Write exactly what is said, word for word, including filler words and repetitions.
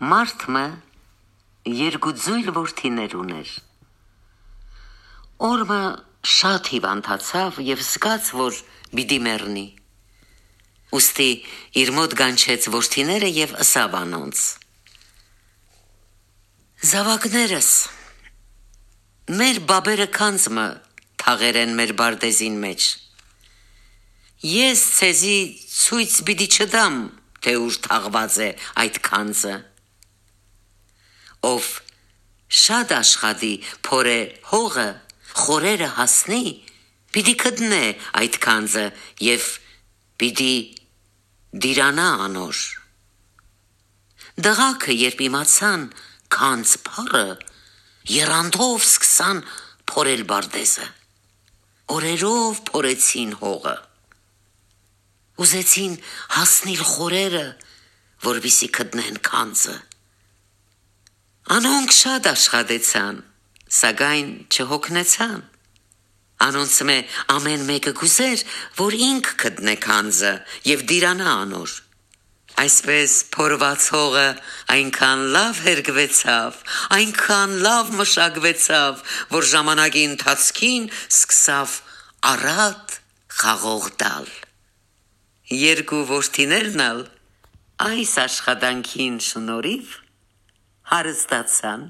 Մարդ մը երկու ձոյլ որդիներ ունէր։ Օր մը շատ հիւանդացաւ եւ զգաց որ պիտի մեռնի։ Ուստի իր մօտ կանչեց որդիները եւ ըսաւ անոնց. «Զաւակներս, մեր բաբերը գանձ մը թաղեր են մեր պարտէզին մէջ։ Ես ձեզի ցոյց պիտի չտամ, թէ ուր թաղուած է այդ գանձը։ Ով շատ աշխատի, փորէ հողը, խորերը հասնի, պիտի գտնէ այդ գանձը եւ պիտի տիրանայ անոր»։ Տղաքը, երբ իմացան գանձ բառը, եռանդով սկսան փորել պարտէզը։ Օրերով փորեցին հողը։ Ուզեցին հասնիլ խորերը, որպեսզի գտնեն գանձը։ Անոնք շատ աշխատեցան, սակայն չյոգնեցան։ Անոնցմէ ամէն մէկը կ'ուզէր որ ինք գտնէ գանձը եւ տիրանայ անոր։ Այսպէս փորուած հողը այնքան լաւ հերկուեցաւ, այնքան լաւ մշակուեցաւ, որ ժամանակի ընթացքին սկսաւ առատ խաղող տալ։ Երկու որդիներն ալ այս աշխատանքին շնորհիւ հարստացան։